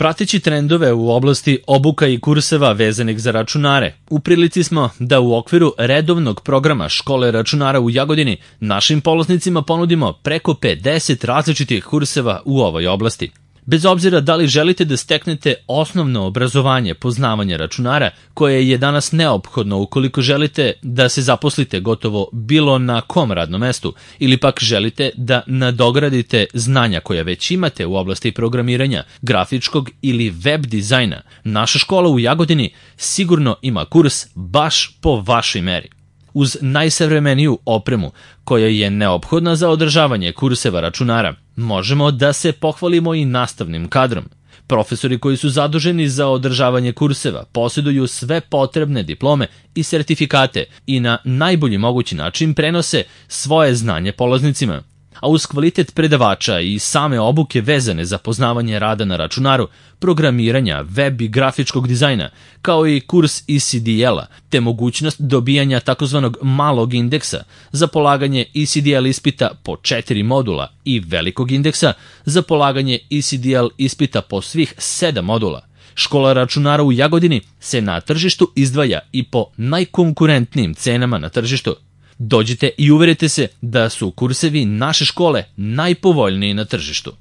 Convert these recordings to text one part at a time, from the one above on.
Prateći trendove u oblasti obuka i kurseva vezanih za računare, u prilici smo da u okviru redovnog programa Škole računara u Jagodini našim polaznicima ponudimo preko 50 različitih kurseva u ovoj oblasti. Bez obzira da li želite da steknete osnovno obrazovanje poznavanja računara, koje je danas neophodno ukoliko želite da se zaposlite gotovo bilo na kom radnom mestu, ili pak želite da nadogradite znanja koja već imate u oblasti programiranja, grafičkog ili web dizajna, naša škola u Jagodini sigurno ima kurs baš po vašoj meri. Uz najsavremeniju opremu koja je neophodna za održavanje kurseva računara, možemo da se pohvalimo i nastavnim kadrom. Profesori koji su zaduženi za održavanje kurseva posjeduju sve potrebne diplome i sertifikate i na najbolji mogući način prenose svoje znanje polaznicima. A uz kvalitet predavača i same obuke vezane za poznavanje rada na računaru, programiranja, web i grafičkog dizajna, kao i kurs ECDL-a, te mogućnost dobijanja takozvanog malog indeksa za polaganje ECDL ispita po 4 modula i velikog indeksa za polaganje ECDL ispita po svih 7 modula. Škola računara u Jagodini se na tržištu izdvaja i po najkonkurentnijim cenama na tržištu. Dođite i uverite se da su kursevi naše škole najpovoljniji na tržištu.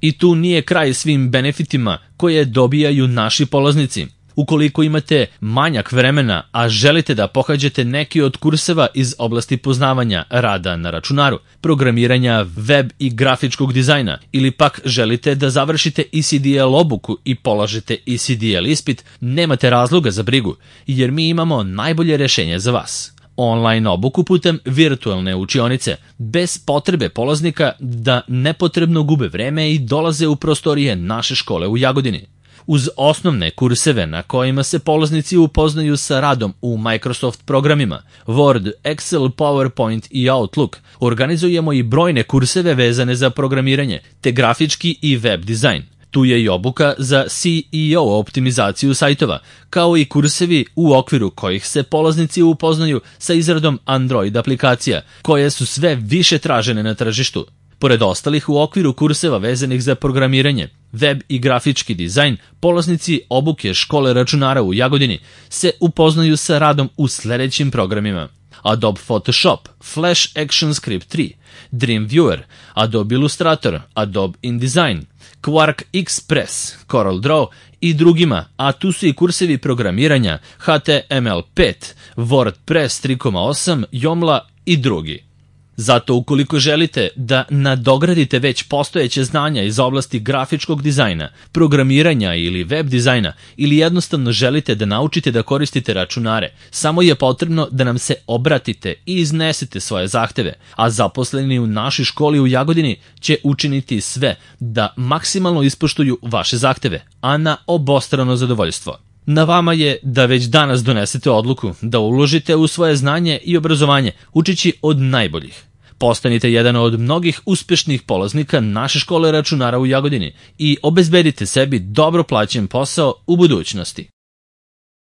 I tu nije kraj svim benefitima koje dobijaju naši polaznici. Ukoliko imate manjak vremena, a želite da pohađate neki od kurseva iz oblasti poznavanja rada na računaru, programiranja, web i grafičkog dizajna, ili pak želite da završite ECDL obuku i polažete ECDL ispit, nemate razloga za brigu, jer mi imamo najbolje rješenje za vas. Online obuku putem virtualne učionice, bez potrebe polaznika da nepotrebno gube vreme i dolaze u prostorije naše škole u Jagodini. Uz osnovne kurseve na kojima se polaznici upoznaju sa radom u Microsoft programima, Word, Excel, PowerPoint i Outlook, organizujemo i brojne kurseve vezane za programiranje, te grafički i web dizajn. Tu je i obuka za SEO optimizaciju sajtova, kao i kursevi u okviru kojih se polaznici upoznaju sa izradom Android aplikacija, koje su sve više tražene na tržištu. Pored ostalih, u okviru kurseva vezanih za programiranje, web i grafički dizajn, polaznici obuke Škole računara u Jagodini se upoznaju sa radom u sledećim programima: Adobe Photoshop, Flash ActionScript 3, Dreamweaver, Adobe Illustrator, Adobe InDesign, Quark Express, CorelDRAW i drugima, a tu su i kursevi programiranja HTML5, WordPress 3.8, Joomla i drugi. Zato ukoliko želite da nadogradite već postojeće znanja iz oblasti grafičkog dizajna, programiranja ili web dizajna, ili jednostavno želite da naučite da koristite računare, samo je potrebno da nam se obratite i iznesete svoje zahteve, a zaposleni u našoj školi u Jagodini će učiniti sve da maksimalno ispoštuju vaše zahteve, a na obostrano zadovoljstvo. Na vama je da već danas donesete odluku da uložite u svoje znanje i obrazovanje učeći od najboljih. Postanite jedan od mnogih uspešnih polaznika naše škole računara u Jagodini i obezbedite sebi dobro plaćen posao u budućnosti.